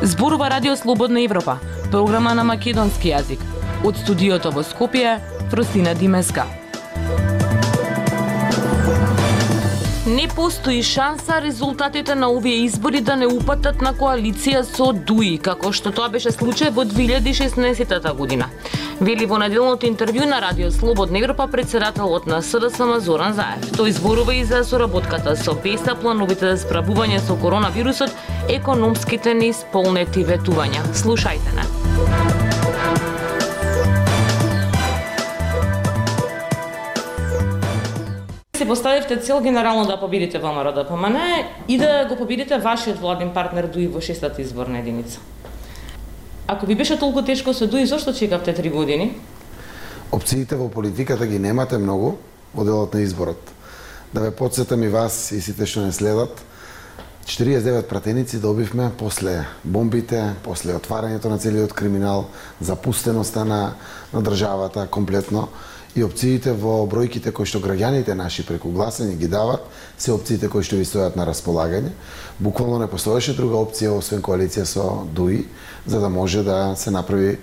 Зборува Радио Слободна Европа, програма на македонски јазик. Од студиото во Скопје, Фросина Димеска. Не постои шанса резултатите на овие избори да не упатат на коалиција со ДУИ, како што тоа беше случај во 2016 година. Вели во неделното интервју на Радио Слободна Европа председателот на СДСМ Зоран Заев. Тој зборува и за соработката со ПЕСА, плановите за справување со коронавирусот, економските неисполнети ветувања. Слушајте не. Се поставивте цел генерално да победите ВМРО ДПМН и да го победите вашиот владин партнер ДУИ во 6-та изборна единица. Ако ви беше толку тешко со ДУИ, зошто чекавте 3 години? Опциите во политиката ги немате многу во делот на изборот. Да ве потсетам и вас и сите што не следат, 49 пратеници добивме после бомбите, после отварањето на целиот криминал, запустеноста на државата комплетно. И опциите во бројките кои што граѓаните наши преку гласање ги дават, се опциите кои што ви стојат на располагање. Буквално не постоеше друга опција освен коалиција со ДУИ, за да може да се направи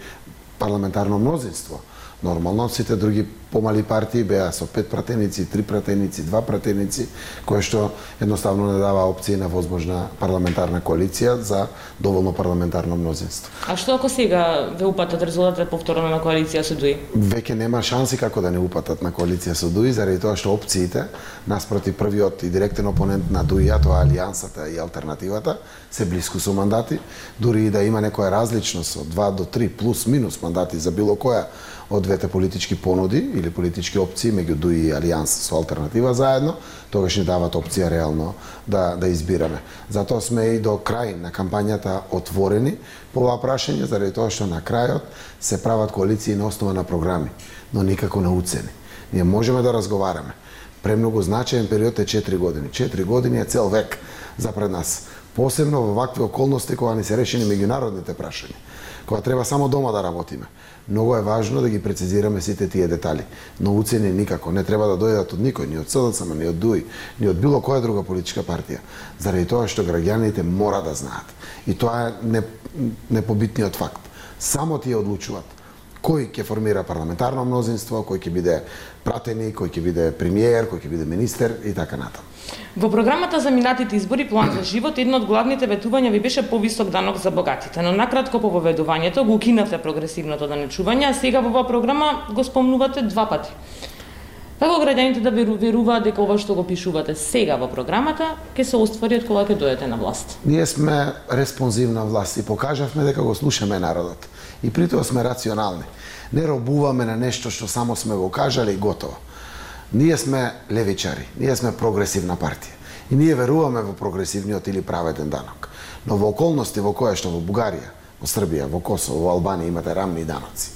парламентарно мнозинство. Нормално, сите други помали партии беа со 5 пратеници, 3 пратеници, 2 пратеници, кое што едноставно не дава опција на возможна парламентарна коалиција за доволно парламентарно мнозинство. А што ако сега ве упатат резултатите повторно на коалиција со ДУИ? Веќе нема шанси како да не упатат на коалиција со ДУИ, заради тоа што опциите наспроти првиот и директен опонент на ДУИ, а тоа Алијансата и алтернативата, се блиску со мандати, дури и да има некоја различност од 2 до 3 плюс минус мандати за било која од двете политички понуди или политички опции меѓу ДУИ и Алијанс со алтернатива заедно, тогаш ни дават опција реално да избираме. Затоа сме и до крај на кампањата отворени по ова прашање, заради тоа што на крајот се прават коалиции на основа на програми, но никако на уцени. Ние можеме да разговараме. Премногу значаен период е 4 години. 4 години е цел век за пред нас. Посебно во вакви околности кога ни се решени меѓународните прашања, кога треба само дома да работиме. Многу е важно да ги прецизираме сите тие детали, но уцени никако не треба да дојдат од никој, ни од СДСМ, ни од ДУИ, ни од било која друга политичка партија, заради тоа што граѓаните мора да знаат. И тоа е непобитниот факт. Само тие одлучуваат кој ќе формира парламентарно мнозинство, кој ќе биде пратеник, кој ќе биде премиер, кој ќе биде министер и така натаму. Во програмата за минатите избори План за живот, едно од главните ветувања ви беше повисок данок за богатите, но накратко по поведувањето го укинавте прогресивното данечување, а сега во оваа програма го спомнувате 2 пати. Како граѓаните да веруваат дека ова што го пишувате сега во програмата ќе се оствари од кога ќе дојдете на власт? Ние сме респонзивна власт и покажавме дека го слушаме народот. И при тоа сме рационални. Не робуваме на нешто што само сме го кажале и готово. Ние сме левичари, ние сме прогресивна партија. И ние веруваме во прогресивниот или праведен данок. Но во околности во која што во Бугарија, во Србија, во Косово, во Албанија имате рамни даноци,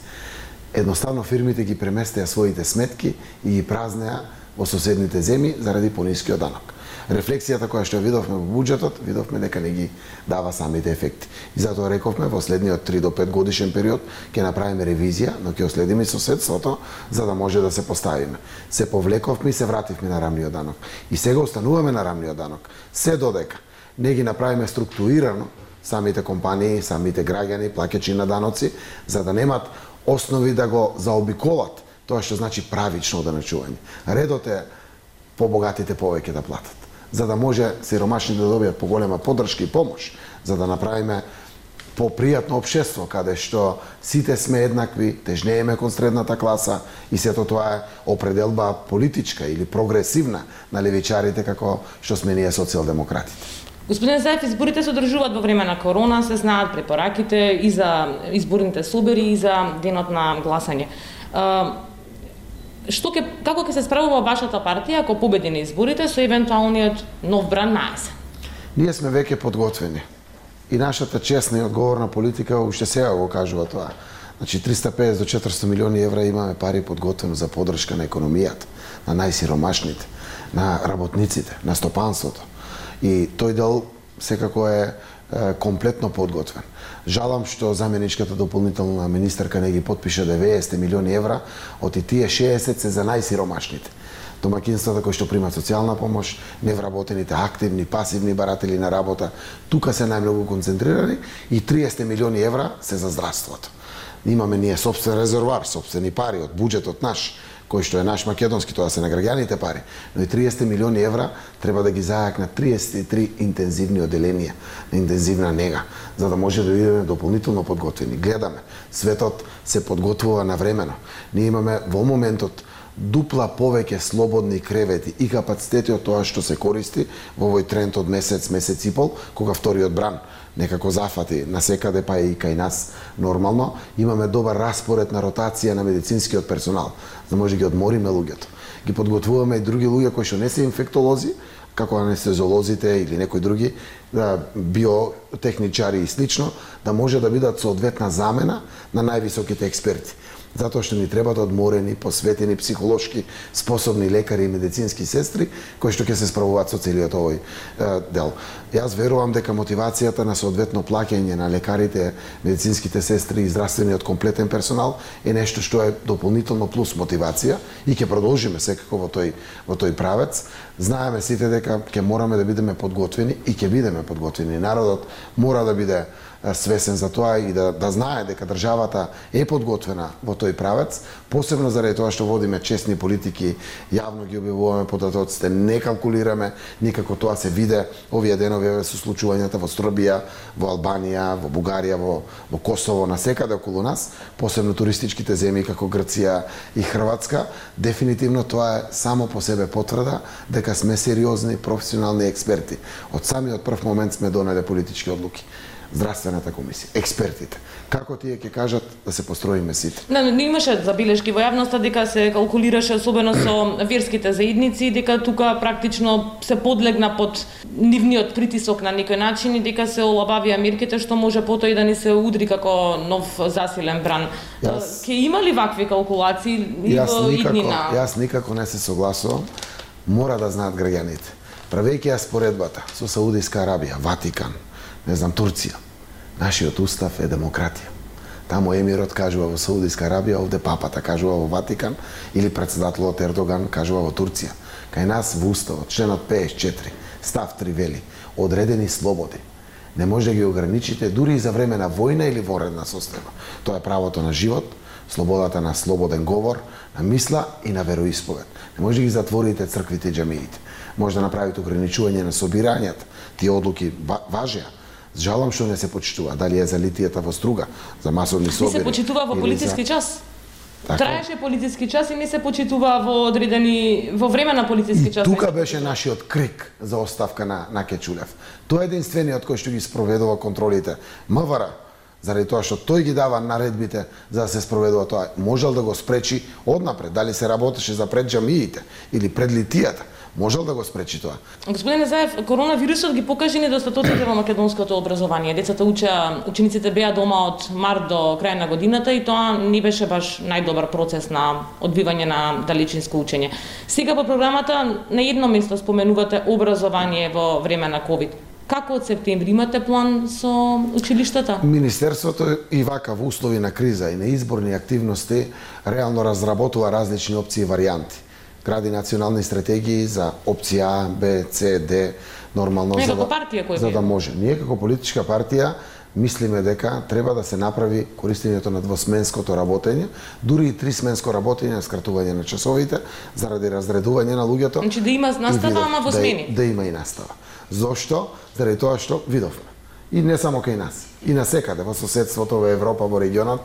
едноставно фирмите ги преместеа своите сметки и ги празнеа во соседните земји заради понискиот данок. Рефлексијата која што видовме во буџетот, видовме дека не ги дава самите ефекти. И затоа рековме во следниот 3 до 5 годишен период ќе направиме ревизија, но ќе следиме соседството за да може да се поставиме. Се повлековме и се вративме на рамниот данок. И сега остануваме на рамниот данок. Се додека не ги направиме структурирано самите компании, самите граѓани, плаќачи на даноци, за да немат основи да го заобиколат тоа што значи правично данечување. Редот е побогатите повеќе да платат, за да може сиромашните да добијат поголема поддршка и помош, за да направиме попријатно општество каде што сите сме еднакви, тежнееме кон средната класа и сето тоа е определба политичка или прогресивна на левичарите како што сме ние социјалдемократите. Господин Заев, изборите се одржуваат во време на корона, се знаат препораките и за изборните собери и за денот на гласање. Како ќе се справува вашата партија ако победи на изборите со евентуалниот нов бран на есен? Ние сме веќе подготвени. И нашата честна и одговорна политика уште сега го кажува тоа. Значи 350 до 400 милиони евра имаме пари подготвено за поддршка на економијата, на најсиромашните, на работниците, на стопанството. И тој дел секако е комплетно подготвен. Жалам што заменичката дополнителна министерка не ги потпише 90 милиони евра, од и тие 60 се за најсиромашните. Домакинствата кои што примат социјална помош, невработените, активни, пасивни баратели на работа, тука се најмногу концентрирани и 30 милиони евра се за здравството. Имаме ние собствен резервоар, собствени пари од буџетот наш, кој што е наш македонски, тоа се на граѓаните пари, но и 30 милиони евра треба да ги зајакнат 33 интензивни оделенија на интензивна нега, за да може да бидеме дополнително подготвени. Гледаме, светот се подготвува навремено. Ние имаме во моментот дупла повеќе слободни кревети и капацитети од тоа што се користи во овој тренд од месец и пол, кога вториот бран некако зафати насекаде, па и кај нас нормално. Имаме добар распоред на ротација на медицинскиот персонал, за да може да ги одмориме луѓето. Ги подготвуваме и други луѓе кои што не се инфектолози, како анестезиолозите или некои други, биотехничари и слично, да може да бидат соодветна замена на највисоките експерти. Затоа што ни требаат одморени, посветени, психолошки способни лекари и медицински сестри кои што ќе се справуваат со целиот овој дел. Јас верувам дека мотивацијата на соодветно плаќање на лекарите, медицинските сестри и здравствениот комплетен персонал е нешто што е дополнително плюс мотивација и ќе продолжиме секако во тој правец. Знаеме сите дека ќе мораме да бидеме подготвени и ќе бидеме подготвени. Народот мора да биде свесен за тоа и да знае дека државата е подготвена во тој правец, посебно заради тоа што водиме честни политики, јавно ги објавуваме податоците, не калкулираме, никако тоа се виде овие денови со случувањата во Србија, во Албанија, во Бугарија, во Косово, насекаде околу нас, посебно туристичките земји како Грција и Хрватска. Дефинитивно тоа е само по себе потврда дека сме сериозни, професионални експерти. Од самиот прв момент сме донеле политички одлуки. Здравствената комисија, експертите. Како тие ќе кажат да се построиме сите? Не имаше забелешки во јавноста дека се калкулираше особено со верските заедници, дека тука практично се подлегна под нивниот притисок на некој начин и дека се олабавија мерките што може потоа и да ни се удри како нов засилен бран. Ќе има ли вакви калкулации во иднина? Јас никако не се согласувам. Мора да знаат граѓаните. Правејќи ја споредбата со Саудиска Арабија, Ватикан, не знам, Турција. Нашиот устав е демократија. Таму емирот кажува во Саудиска Арабија, овде папата кажува во Ватикан или претседателот Ердоган кажува во Турција. Кај нас во уставот, членот 54, став 3 вели, одредени слободи. Не може да ги ограничите дури и за време на војна или воредна состојба. Тоа е правото на живот, слободата на слободен говор, на мисла и на вероисповед. Не може да ги затворите црквите и џамиите. Може да направите ограничување на собирањата. Тие одлуки важеа. Жалам што не се почитува. Дали е за литијата во Струга, за масовни собери. Не се почитува во полициски час. Траеше полициски час и не се почитува во време на полициски час. И тука беше нашиот крик за оставка на Кечулев. Тој е единствениот кој што ги спроведува контролите. МВР, заради тоа што тој ги дава наредбите за да се спроведува тоа, можел да го спречи однапред. Дали се работеше за пред џамиите или пред литијата, можел да го спречи тоа. Господине Заев, коронавирусот ги покажи недостатоците во македонското образование. Децата учениците беа дома од март до крај на годината и тоа не беше баш најдобар процес на одбивање на далечинско учење. Сега во програмата на едно место споменувате образование во време на ковид. Како од септември имате план со училиштата? Министерството и вака во услови на криза и на изборни активности реално разработува различни опции и варијанти. Гради национални стратегии за опција А, Б, С, Д, нормално за да може. Ние како политичка партија мислиме дека треба да се направи користењето на двосменското работење, дури и трисменско работење, скратување на часовите заради разредување на луѓето. Значи да има настава, ама во смени. Да има и настава. Зошто? Заради тоа што видовме. И не само кај нас, и насекаде во соседството, во Европа, во регионот,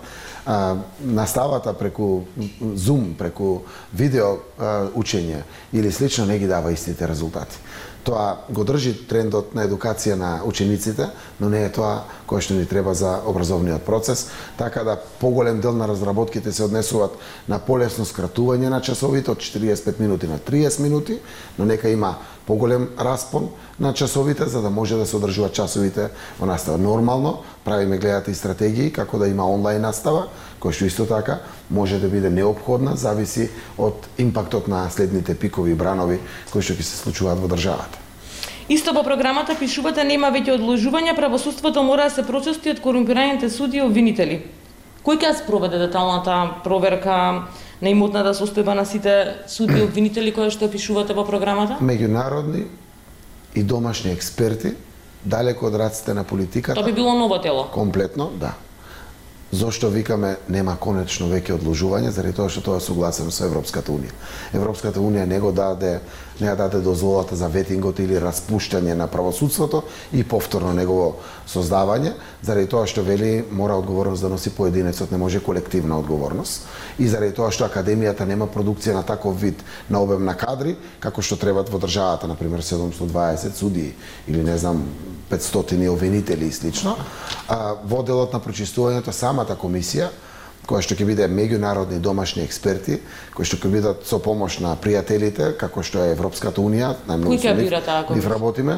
наставата преку Zoom, преку видео учење или слично не ги дава истите резултати. Тоа го држи трендот на едукација на учениците, но не е тоа кое што ни треба за образовниот процес, така да поголем дел на разработките се однесуваат на полесно скратување на часовите од 45 минути на 30 минути, но нека има поголем распон на часовите за да може да се одржуваат часовите во настава. Нормално правиме гледате и стратегии како да има онлайн настава, која што исто така може да биде неопходна, зависи од импактот на следните пикови и бранови кои што ќе се случуваат во државата. Исто во програмата пишувате нема веќе одложување, правосудството мора да се прочисти од корумпираните суди и обвинители. Кој ќе спроведе деталната проверка на имотната состојба на сите суди и обвинители кои што пишувате во програмата? Меѓународни и домашни експерти, далеко од раците на политиката. Тоа би било ново тело. Комплетно, да. Зошто викаме нема конечно веќе одложување, заради тоа што тоа е согласено со Европската унија. Европската унија не даде дозволата за ветингот или распуштање на правосудството и повторно негово создавање, заради тоа што вели мора одговорност да носи поединецот, не може колективна одговорност, и заради тоа што академијата нема продукција на таков вид на обем на кадри како што требат во државата, на пример 720 судии или не знам 500 обвинители и слично. Во делот на прочистувањето самата комисија, која што ќе биде меѓународни домашни експерти, кои што ќе бидат со помош на пријателите, како што е Европската унија, најмногу со нив работиме,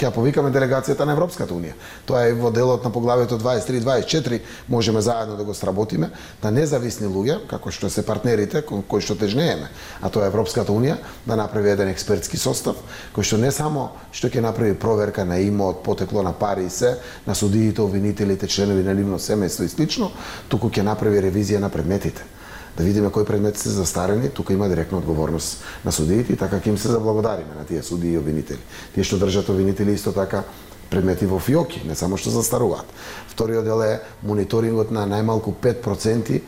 ќе повикаме делегацијата на Европската унија. Тоа е во делот на поглавието 23-24, можеме заедно да го сработиме, да независни луѓе, како што се партнерите кои што тежнееме, а тоа е Европската унија, да направи еден експертски состав, кој што не само што ќе направи проверка на имот, потекло на пари и се, на судиите, обвинителите, членови на нивно семејство и слично, туку ќе направи ревизија на предметите. Да видиме кои предмети се застарени, тука има директна одговорност на судиите и така ќе им се заблагодариме на тие судии и обвинители. Тие што држат обвинители исто така предмети во фиоки, не само што застаруваат. Вториот дел е мониторингот на најмалку 5%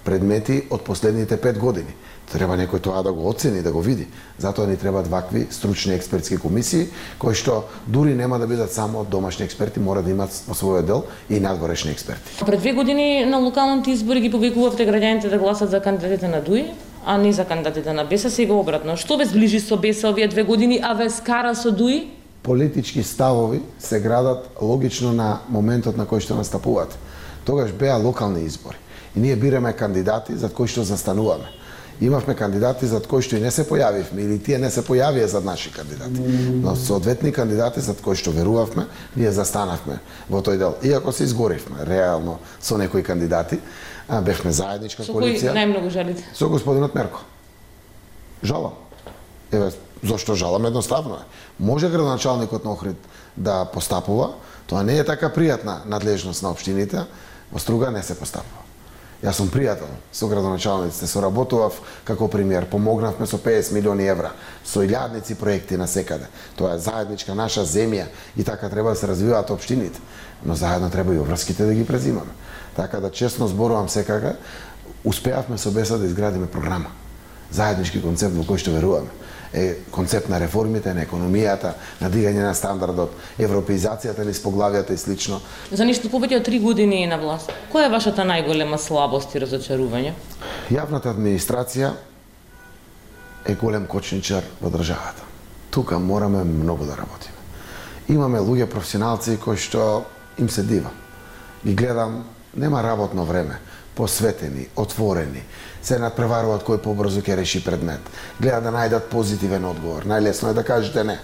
предмети од последните 5 години. Треба некој тоа да го оцени, да го види. Затоа ни требаат вакви стручни експертски комисии, кои што дури нема да бидат само домашни експерти, мора да имаат во својот дел и надворешни експерти. Пред 2 години на локалните избори ги повикувавте граѓаните да гласат за кандидатите на ДУИ, а не за кандидатите на БЕСА, сега обратно. Што ве зближи со БЕСА овие 2 години, а ве скара со ДУИ? Политички ставови се градат логично на моментот на кој што настапуваат. Тогаш беа локални избори и ние бираме кандидати за кои што застануваме. Имавме кандидати за кои што и не се појавивме или тие не се појавија за наши кандидати. Но соодветни кандидати за кои што верувавме, ние застанавме во тој дел. Иако се изгоривме реално со некои кандидати, бевме заедничка коалиција. Со кој најмногу жалите? Со господинот Мерко. Жалам. Еве, зошто жалам? Едноставно е. Може градоначалникот на Охрид да постапува, тоа не е така пријатна надлежност на општините, во Струга не се постапува. Јас сум пријател со градоначалниците, соработував како премиер, помогнавме со 50 милиони евра, со илјадници проекти на секаде. Тоа е заедничка наша земја и така треба да се развиваат општините, но заедно треба и обврските да ги презимаме. Така да честно зборувам секако, успеавме со БЕСА да изградиме програма, заеднички концепт во кој што веруваме. Концепт на реформите, на економијата, на дигање на стандардот, европеизацијата низ поглавијата и слично. За нешто повеќе од 3 години на власт, која е вашата најголема слабост и разочарување? Јавната администрација е голем кочничар во државата. Тука мораме многу да работиме. Имаме луѓе професионалци кои што им се дива. Ги гледам, нема работно време, посветени, отворени, се надпреваруваат кој побрзо ќе реши предмет. Гледаат да најдат позитивен одговор. Најлесно е да кажете не.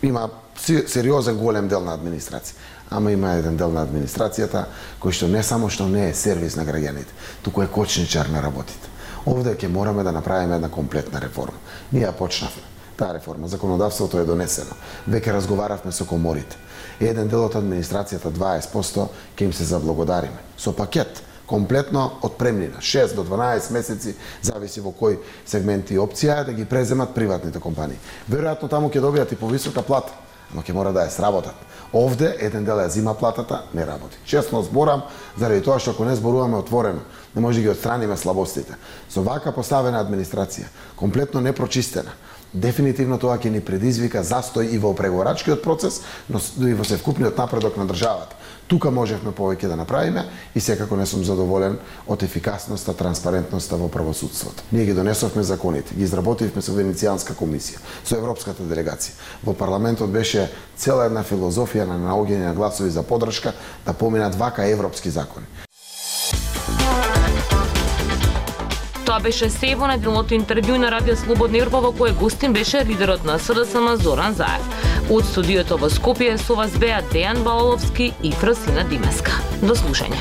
Има сериозен голем дел на администрација, ама има еден дел на администрацијата кој што не само што не е сервис на граѓаните, туку е кочничар на работите. Овде ќе мораме да направиме една комплетна реформа. Ние ја почнавме таа реформа, законодавството е донесено. Веќе разговаравме со коморите. Еден дел од администрацијата 20% ќе им се заблагодариме со пакет комплетно отпремнина, 6 до 12 месеци, зависи во кој сегмент и опција е да ги преземат приватните компании. Веројатно таму ќе добијат и повисока плата, ама ќе мора да ја сработат. Овде еден дел ја зима платата, не работи. Честно зборам, заради тоа што ако не зборуваме отворено, не може да ги отстраниме слабостите. Со вака поставена администрација, комплетно непрочистена, дефинитивно тоа ќе ни предизвика застој и во преговорачкиот процес, но и во севкупниот напредок на државата. Тука можевме повеќе да направиме и секако не сум задоволен од ефикасноста, транспарентноста во правосудството. Ние ги донесовме законите, ги изработивме со Венецијанска комисија, со Европската делегација. Во парламентот беше цела една филозофија на наоѓање на гласови за поддршка да поминат вака европски закони. Тоа беше се во неделното интервју на Радио Слободна Европа, во кое гостин беше лидерот на СДСМ Зоран Заев. Од студиото во Скопје со вас беа Дејан Балаловски и Фросина Димеска. До слушање.